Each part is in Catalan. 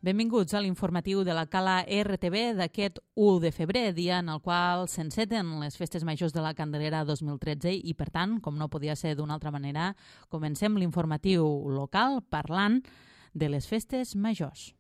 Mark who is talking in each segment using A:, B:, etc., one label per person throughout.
A: Benvinguts a l'informatiu de la Cala RTV d'aquest 1 de febrer, dia en el qual s'enceten les festes majors de la Candelera 2013 i, per tant, com no podia ser d'una altra manera, comencem l'informatiu local parlant de les festes majors.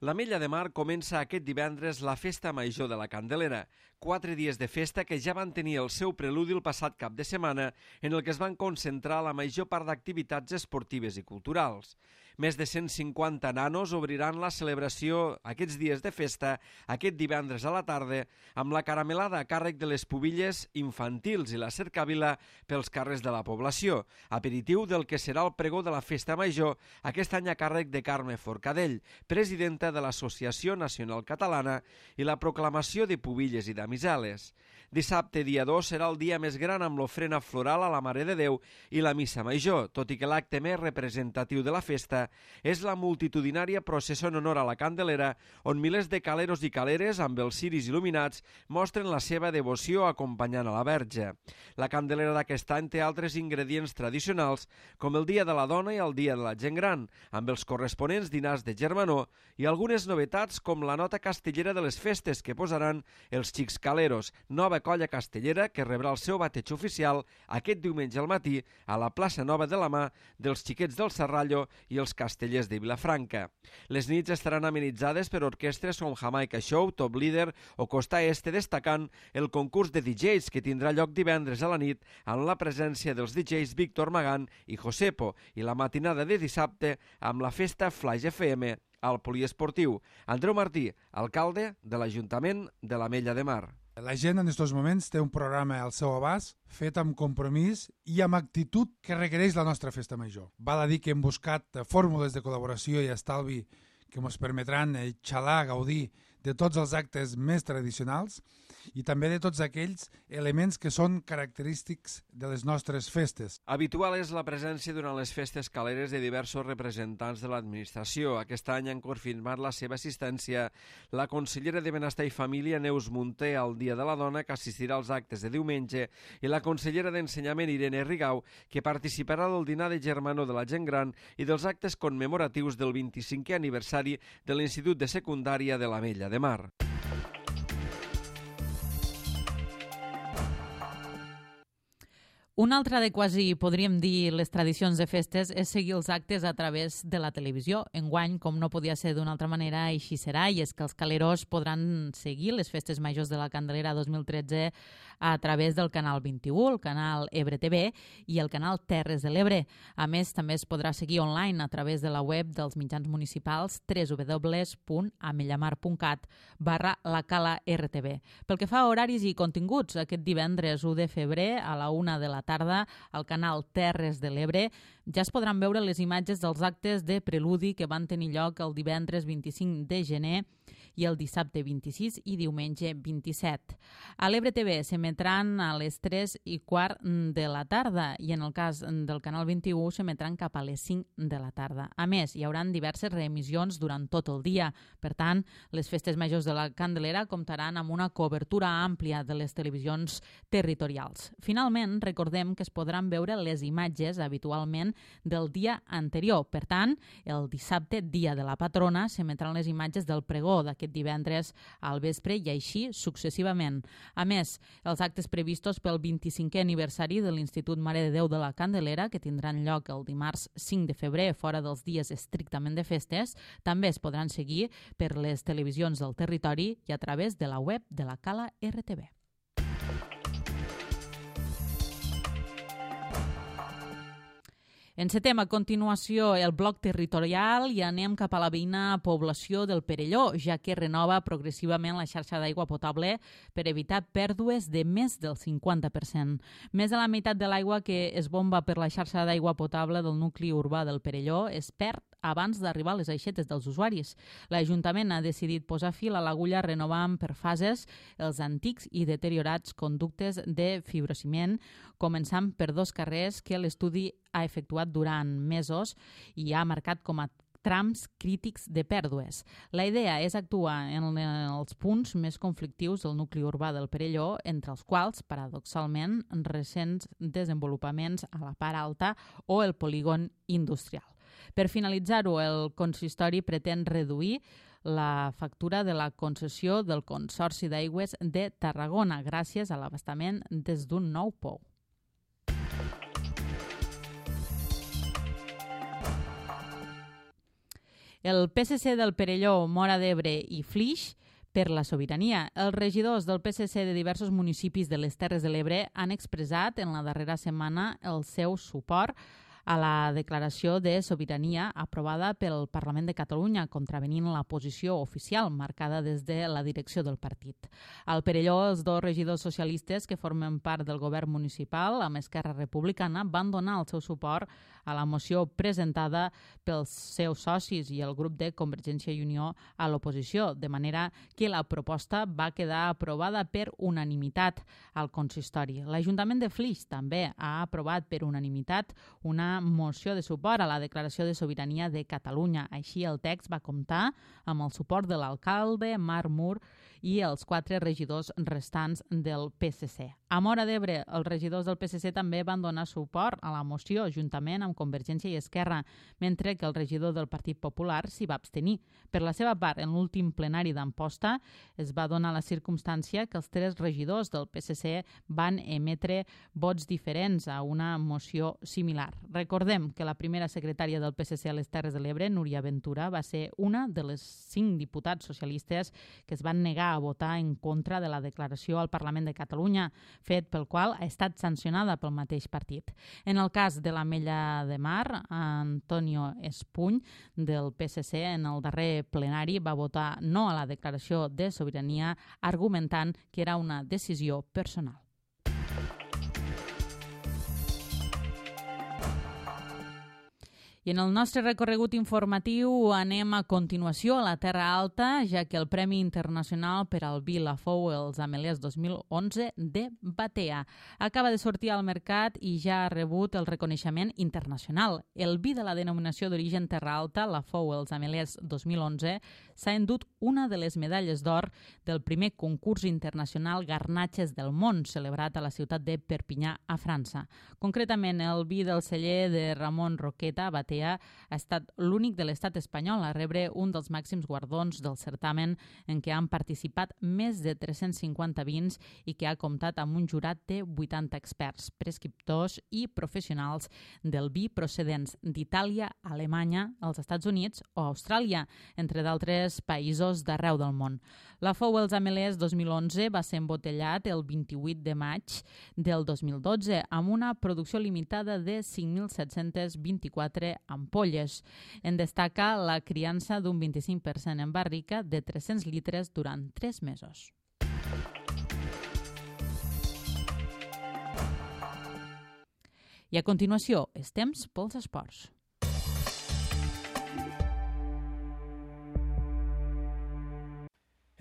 B: L'Ametlla de Mar comença aquest divendres la Festa Major de la Candelera, 4 dies de festa que ja van tenir el seu preludi el passat cap de setmana, en el que es van concentrar la major part d'activitats esportives i culturals. Més de 150 nanos obriran la celebració aquests dies de festa aquest divendres a la tarda amb la caramelada a càrrec de les pubilles infantils i la cercavila pels carrers de la població, aperitiu del que serà el pregó de la Festa Major, aquest any a càrrec de Carme Forcadell, presidenta de l'Associació Nacional Catalana, i la proclamació de pubilles i damiseles. Dissabte, dia 2, serà el dia més gran amb l'ofrena floral a la Mare de Déu i la Missa Major, tot i que l'acte més representatiu de la festa és la multitudinària processó en honor a la Candelera, on milers de caleros i caleres amb els ciris il·luminats mostren la seva devoció acompanyant a la Verge. La Candelera d'aquest any té altres ingredients tradicionals, com el Dia de la Dona i el Dia de la Gent Gran, amb els corresponents dinars de germanor, i algunes novetats com la nota castellera de les festes que posaran els Xics Caleros, nova colla castellera que rebrà el seu bateig oficial aquest diumenge al matí a la plaça Nova de la Mà dels Xiquets del Serrallo i els Castellers de Vilafranca. Les nits estaran amenitzades per orquestres com Jamaica Show, Top Leader o Costa Este, destacant el concurs de DJs que tindrà lloc divendres a la nit amb la presència dels DJs Víctor Magán i Josepo, i la matinada de dissabte amb la festa Flaix FM al poliesportiu. Andreu Martí, alcalde de l'Ajuntament de l'Ametlla de Mar.
C: La gent en aquests moments té un programa al seu abast, fet amb compromís i amb actitud que requereix la nostra festa major. Val a dir que hem buscat fórmules de col·laboració i estalvi que ens permetran xalar, gaudir de tots els actes més tradicionals i també de tots aquells elements que són característics de les nostres festes.
B: Habitual és la presència durant les festes caleres de diversos representants de l'administració. Aquest any han confirmat la seva assistència la consellera de Benestar i Família, Neus Munté, al Dia de la Dona, que assistirà als actes de diumenge, i la consellera d'Ensenyament, Irene Rigau, que participarà del dinar de germanor de la gent gran i dels actes commemoratius del 25è aniversari de l'Institut de Secundària de l'Ametlla de Mar.
A: Una altra de quasi, podríem dir, les tradicions de festes és seguir els actes a través de la televisió. Enguany, com no podia ser d'una altra manera, així serà, i és que els caleros podran seguir les festes majors de la Candelera 2013 a través del canal 21, el canal Ebre TV i el canal Terres de l'Ebre. A més, també es podrà seguir online a través de la web dels mitjans municipals www.ametllamar.cat/lacala-rtv. Pel que fa a horaris i continguts, aquest divendres 1 de febrer a la 1 de la tarda al canal Terres de l'Ebre ja es podran veure les imatges dels actes de preludi que van tenir lloc el divendres 25 de gener i el dissabte 26 i diumenge 27. A l'Ebre TV s'emetran a les 3:15 de la tarda i en el cas del canal 21 s'emetran cap a les 5 de la tarda. A més, hi haurà diverses reemissions durant tot el dia. Per tant, les festes majors de la Candelera comptaran amb una cobertura àmplia de les televisions territorials. Finalment, recordem que es podran veure les imatges habitualment del dia anterior. Per tant, el dissabte, dia de la patrona, s'emetran les imatges del pregó d'aquest divendres al vespre i així successivament. A més, els actes previstos pel 25è aniversari de l'Institut Mare de Déu de la Candelera, que tindran lloc el dimarts 5 de febrer, fora dels dies estrictament de festes, també es podran seguir per les televisions del territori i a través de la web de la Cala RTV. Encetem a continuació el bloc territorial i anem cap a la veïna població del Perelló, ja que renova progressivament la xarxa d'aigua potable per evitar pèrdues de més del 50%. Més de la meitat de l'aigua que es bomba per la xarxa d'aigua potable del nucli urbà del Perelló es perd abans d'arribar a les aixetes dels usuaris. L'Ajuntament ha decidit posar fil a l'agulla renovant per fases els antics i deteriorats conductes de fibrociment, començant per 2 carrers que l'estudi ha efectuat durant mesos i ha marcat com a trams crítics de pèrdues. La idea és actuar en els punts més conflictius del nucli urbà del Perelló, entre els quals, paradoxalment, recents desenvolupaments a la part alta o el polígon industrial. Per finalitzar-ho, el consistori pretén reduir la factura de la concessió del Consorci d'Aigües de Tarragona gràcies a l'abastament des d'un nou pou. El PSC del Perelló, Móra d'Ebre i Flix per la sobirania. Els regidors del PSC de diversos municipis de les Terres de l'Ebre han expressat en la darrera setmana el seu suport a la declaració de sobirania aprovada pel Parlament de Catalunya, contravenint la posició oficial marcada des de la direcció del partit. Al Perelló, els dos regidors socialistes que formen part del govern municipal amb Esquerra Republicana van donar el seu suport a la moció presentada pels seus socis i el grup de Convergència i Unió a l'oposició, de manera que la proposta va quedar aprovada per unanimitat al consistori. L'Ajuntament de Flix també ha aprovat per unanimitat una moció de suport a la declaració de sobirania de Catalunya. Així, el text va comptar amb el suport de l'alcalde, Marc Mur, i els 4 regidors restants del PSC. A Móra d'Ebre, els regidors del PSC també van donar suport a la moció juntament amb Convergència i Esquerra, mentre que el regidor del Partit Popular s'hi va abstenir. Per la seva part, en l'últim plenari d'Amposta es va donar la circumstància que els 3 regidors del PSC van emetre vots diferents a una moció similar. Recordem que la primera secretària del PSC a les Terres de l'Ebre, Núria Ventura, va ser una de les 5 diputats socialistes que es van negar a votar en contra de la declaració al Parlament de Catalunya, fet pel qual ha estat sancionada pel mateix partit. En el cas de l'Ametlla de Mar, Antonio Espuny, del PSC, en el darrer plenari va votar no a la declaració de sobirania, argumentant que era una decisió personal. I en el nostre recorregut informatiu anem a continuació a la Terra Alta, ja que el Premi Internacional per al vi Lafou els Amelers 2011 de Batea acaba de sortir al mercat i ja ha rebut el reconeixement internacional. El vi de la denominació d'origen Terra Alta, Lafou els Amelers 2011, s'ha endut una de les medalles d'or del primer concurs internacional Garnatges del món, celebrat a la ciutat de Perpinyà, a França. Concretament, el vi del celler de Ramon Roqueta, Batea, ha estat l'únic de l'estat espanyol a rebre un dels màxims guardons del certamen en què han participat més de 350 vins i que ha comptat amb un jurat de 80 experts, prescriptors i professionals del vi procedents d'Itàlia, Alemanya, els Estats Units o Austràlia, entre d'altres països d'arreu del món. Lafou els Amelers 2011 va ser embotellat el 28 de maig del 2012 amb una producció limitada de 5.724 ampolles. En destaca la criança d'un 25% en barrica de 300 litres durant 3 mesos. I a continuació, és temps pels esports.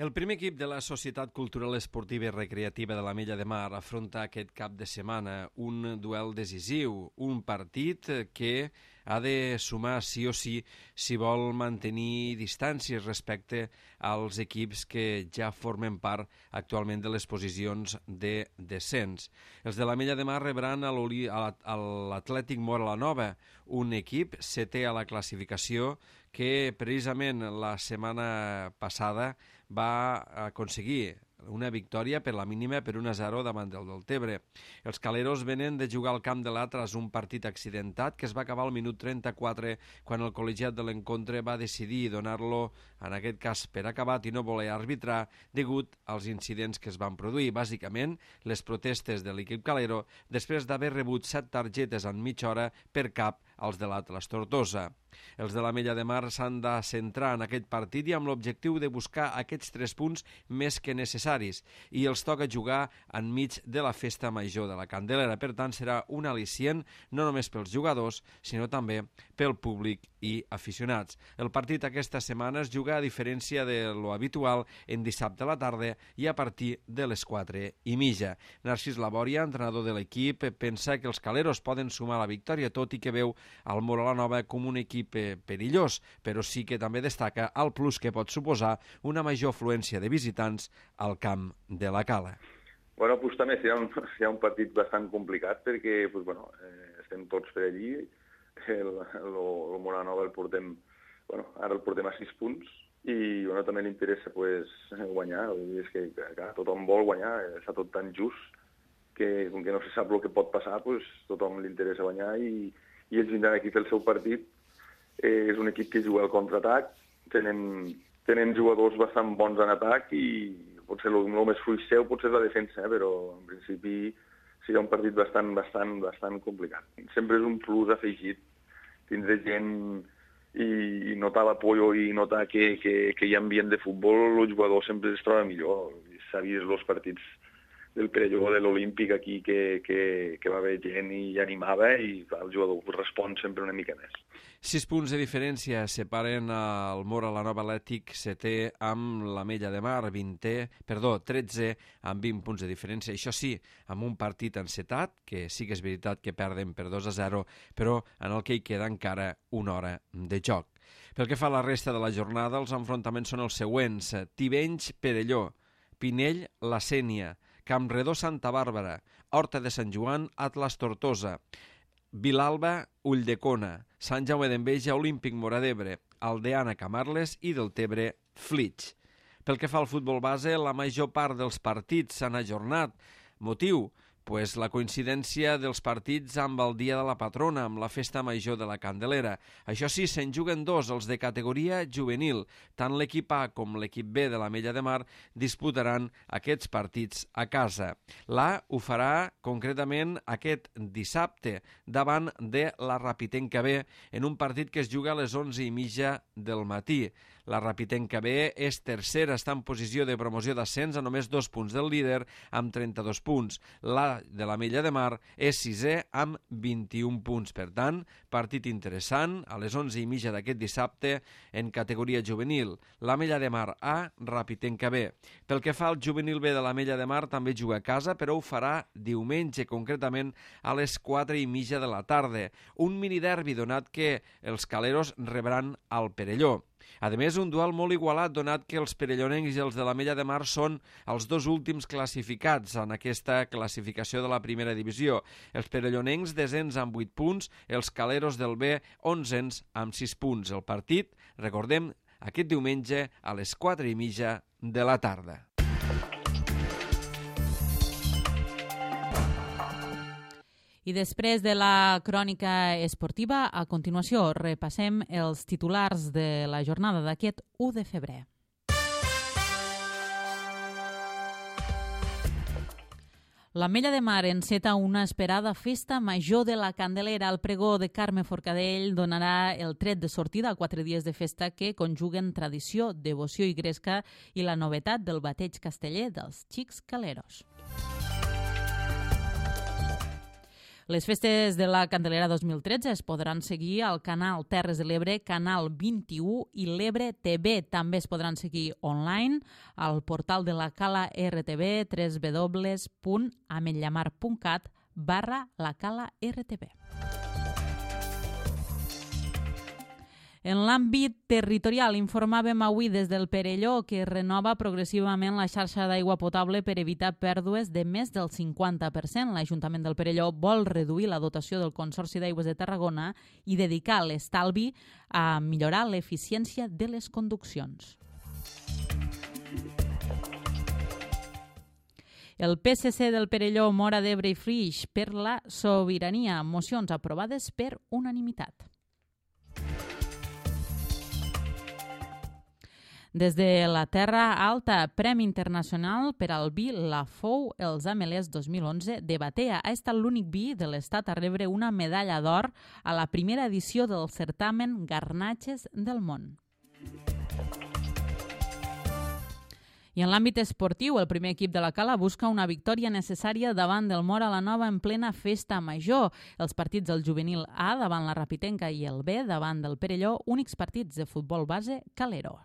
B: El primer equip de la Societat Cultural Esportiva i Recreativa de l'Ametlla de Mar afronta aquest cap de setmana un duel decisiu, un partit que ha de sumar sí o sí si vol mantenir distàncies respecte als equips que ja formen part actualment de les posicions de descens. Els de l'Ametlla de Mar rebran a l'Atlètic Móra la Nova, un equip setè a la classificació que precisament la setmana passada va aconseguir una victòria per la mínima per 1-0 davant del Deltebre. Els caleros venen de jugar al camp de l'Atlas un partit accidentat que es va acabar al minut 34 quan el col·legiat de l'encontre va decidir donar-lo, en aquest cas per acabat i no voler arbitrar, degut als incidents que es van produir. Bàsicament, les protestes de l'equip calero després d'haver rebut 7 targetes en mitja hora per cap als de l'Atlas Tortosa. Els de l'Ametlla de Mar s'han de centrar en aquest partit i amb l'objectiu de buscar aquests 3 punts més que necessaris i els toca jugar enmig de la festa major de la Candelera. Per tant, serà un al·licient no només pels jugadors, sinó també pel públic i aficionats. El partit aquesta setmana es juga a diferència de lo habitual en dissabte a la tarda i a partir de les 4:30. Narcís Labòria, entrenador de l'equip, pensa que els caleros poden sumar la victòria, tot i que veu al Móra la Nova com un equip perillós, però sí que també destaca el plus que pot suposar una major afluència de visitants al camp de la Cala.
D: Bueno, pues també serà un partit bastant complicat perquè estem tots per allí. El Móra Nova ara el portem a 6 punts i també li interessa guanyar. És que clar, tothom vol guanyar, està tot tan just que com que no se sap el que pot passar, tothom li interessa guanyar i ells vindran aquí a fer el seu partit. És un equip que juga al contraatac, tenen jugadors bastant bons en atac i potser el més fluix seu potser és la defensa, però en principi serà un partit bastant complicat. Sempre és un plus afegit tindre gent i notar l'apoyo i notar que hi ha ambient de futbol, el jugador sempre es troba millor. S'ha vist els partits del Perelló o de l'Olímpic aquí que va haver gent i animava i el jugador respon sempre una mica més.
B: 6 punts de diferència separen el Móra la Nova Atlètic setè amb l'Ametlla de Mar, 13 amb 20 punts de diferència. Això sí, amb un partit encetat, que sí que és veritat que perden per 2-0, però en el que hi queda encara una hora de joc. Pel que fa a la resta de la jornada, els enfrontaments són els següents: Tivenys-Perelló, Pinell-La Sénia, Campredó Santa Bàrbara, Horta de Sant Joan, Atlas Tortosa, Vilalba, Ulldecona, Sant Jaume d'Enveja, Olímpic Móra d'Ebre, Aldeana Camarles i Deltebre, Flix. Pel que fa al futbol base, la major part dels partits s'han ajornat. Motiu? La coincidència dels partits amb el Dia de la Patrona, amb la Festa Major de la Candelera. Això sí, se'n juguen 2, els de categoria juvenil. Tant l'equip A com l'equip B de l'Ametlla de Mar disputaran aquests partits a casa. L'A ho farà concretament aquest dissabte davant de la Rapitenca B en un partit que es juga a les 11:30 del matí. La Rapitenca B és tercera, està en posició de promoció d'ascens a només 2 punts del líder amb 32 punts. La de l'Ametlla de Mar és sisè amb 21 punts. Per tant, partit interessant a les 11:30 d'aquest dissabte en categoria juvenil. L'Ametlla de Mar A, Rapitenca B. Pel que fa al juvenil B de l'Ametlla de Mar, també juga a casa, però ho farà diumenge, concretament a les 4:30 de la tarda. Un miniderbi donat que els caleros rebran al Perelló. A més, un duel molt igualat, donat que els perellonencs i els de l'Ametlla de Mar són els 2 últims classificats en aquesta classificació de la primera divisió. Els perellonencs desens amb 8 punts, els caleros del B 11 amb 6 punts. El partit, recordem, aquest diumenge a les 4:30 de la tarda.
A: I després de la crònica esportiva, a continuació repassem els titulars de la jornada d'aquest 1 de febrer. L'Ametlla de Mar enceta una esperada festa major de la Candelera. El pregó de Carme Forcadell donarà el tret de sortida a 4 dies de festa que conjuguen tradició, devoció i gresca i la novetat del bateig casteller dels xics caleros. Les festes de la Candelera 2013 es podran seguir al canal Terres de l'Ebre, canal 21 i l'Ebre TV. També es podran seguir online al portal de la Cala RTV, www.ametllamar.cat/la Cala RTV. En l'àmbit territorial, informàvem avui des del Perelló que renova progressivament la xarxa d'aigua potable per evitar pèrdues de més del 50%. L'Ajuntament del Perelló vol reduir la dotació del Consorci d'Aigües de Tarragona i dedicar l'estalvi a millorar l'eficiència de les conduccions. El PSC del Perelló, Móra d'Ebre i Flix per la sobirania. Mocions aprovades per unanimitat. Des de la Terra Alta, Premi Internacional per al vi La Fou els Amelers 2011 de Batea. Ha estat l'únic vi de l'Estat a rebre una medalla d'or a la primera edició del certamen Garnatges del Món. I en l'àmbit esportiu, el primer equip de la Cala busca una victòria necessària davant del Móra la Nova en plena festa major. Els partits del juvenil A davant la Rapitenca i el B davant del Perelló, únics partits de futbol base calero.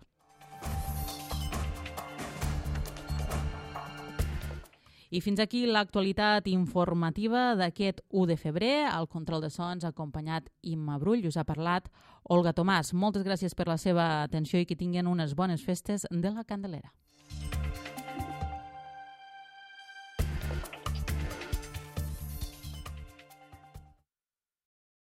A: I fins aquí l'actualitat informativa d'aquest 1 de febrer. Al control de sons ha acompanyat Imma Brull, us ha parlat Olga Tomàs. Moltes gràcies per la seva atenció i que tinguin unes bones festes de la Candelera.